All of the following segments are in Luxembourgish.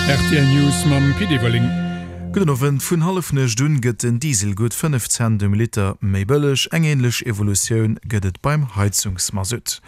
Rtl News mam Pit Everling. Gudden Owend. Vun Hallefnuecht un gëtt den Diesel gutt 5 Cent um Liter méi bëlleg. Eng änlech Evolutioun gëtt et beim Heizungsmasutt.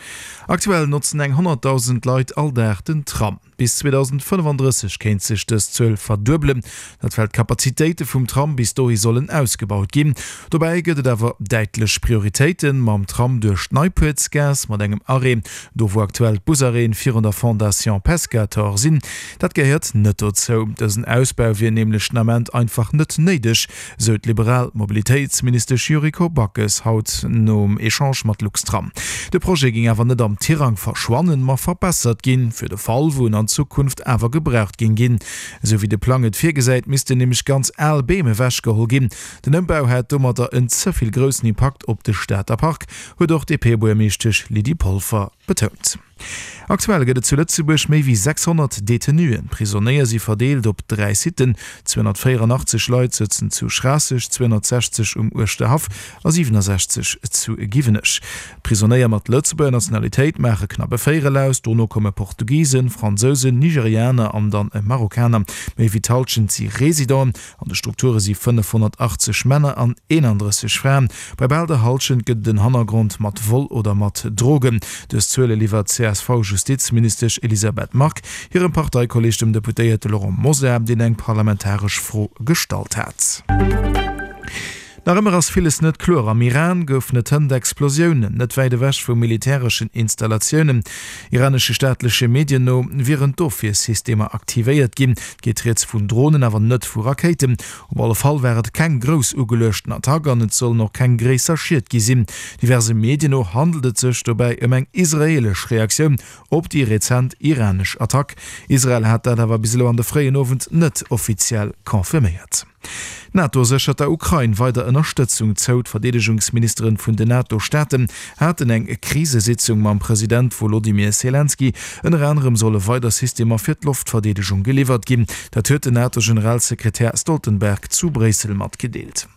Aktuell notzen eng 100.000 Leit all Dag den Tram. Bis 2035 kéint sech dës Zuel verduebelen, dat well d'Kapazitéite vum Tram bis dohi sollen ausgebaut ginn. Dobäi gëtt et awer däitlech Prioritéiten, mam Tram duerch d'Neipuertsgaass, mat engem Arrêt do wou aktuell d'Busarrêten virun der Fondation Pescator sinn. Dat gehéiert net dozou. Dësen Ausbau wier nämlech den Ament einfach net néideg, sou d'liberal Mobilitéitsministesch Yuriko Backes haut nom Echange mat Luxtram. De Projet géing awer net am Tirang verschwannen, ma verbessert ginn, fir de Fall, wou en an Zukunft awer gebraucht géing ginn. Esou wéi de Plang et virgesäit, missten nämlech ganz al Beem ewechgeholl ginn. Den Ëmbau hätt domadder en ze vill groussen Impakt op de Stater Park, huet och d'DP-Buergermeeschtesch Lydie Polfer betount. Aktuell gëtt et zu Lëtzebuerg méi wéi 600 Detenuen. D'Prisonéier si verdeelt op 3 Sitten, 284 Leit sëtzen zu Schraasseg, 260 um Uerschterhaff a 67 zu Giwenech. D'Prisonéier mat Lëtzebuerger Nationalitéit maache knapp e Véierel aus, dono komme Portugisen, Fransousen, Nigerianer an dann e Marokkaner. Méi wéi d'Hallschent si Residenten. An de Strukture si 580 Männer an 31 Fraen. Bei bal der Hallschent gëtt et en Hannergrond mat Vol oder mat Drogen. Dës Zuele liwwert d'CSV-Justizministesch Elisabeth Margue hirem Parteikolleeg, dem Deputéierte Laurent Mosar, deen eng parlamentaresch Fro gestallt hat. Nach ëmmer ass villes net kloer. Am Iran goufen et hënt Explosiounen, net wäit ewech vu militäreschen Installatiounen. Iranesche staatleche Medien no wieren d'Ofwiersystemer aktivéiert ginn. Et geet rieds vun Dronen, awer net vu Rakéiten. Op alle Fall war et keng grouss ugeluechten Attack an et sollen och keng gréisser Schied gi sinn. Diverse Medien no handelt et sech dobäi ëm eng israeelesch Reaktioun op déi rezent iranesch Attack. Israel hat dat awer bis elo an de fréien Owend net offiziell confirméiert. D'NATO séchert der Ukrain weider Ënnerstëtzung zou. D'Verdeedegungsministeren vun den NATO-Staaten haten eng Krisesitzung mam President Wolodymyr Selenskyj. Ënner anerem solle weider Systemer fir d'Loftverdeedegung geliwwert ginn. Dat huet den NATO-Generalsekretär Stoltenberg zu Bréissel matgedeelt.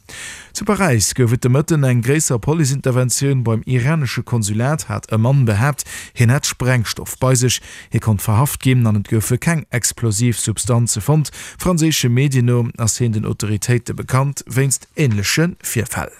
Zu Paräis gouf et de Mëtten eng gréisser Policeinterventioun. Beim iranesche Konsulat hat e Mann behaapt, hien hätt Sprengstoff bei sech. Hie konnt verhaft ginn an et goufe keng explosiv Substanze fonnt. Franséische Medien no ass hien den Autoritéite bekannt wéinst änleche Virfäll.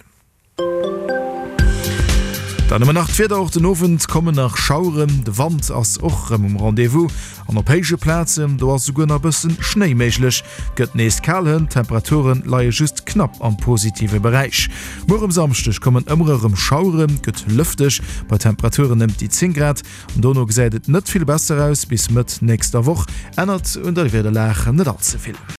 Dann hu mer nach d'Wieder, Och den Owend kommen nach Schaueren, de Wand ass och rëm um Rendez-vous an op héije Plazen, do ass esouguer nach e bëssen Schnéi méiglech. Et gëtt nees kal hënt, d'Temperature leie just knapp am positive Beräich. Muer um Samschdeg kommen ëmmer erëm Schaueren, et gëtt lëfteg bei Temperaturen ëmt déi 10 Grad. Dono gesäit et net vill besser aus, bis Mëtt nächster Woch ännert un der Wiederlag net all ze vill.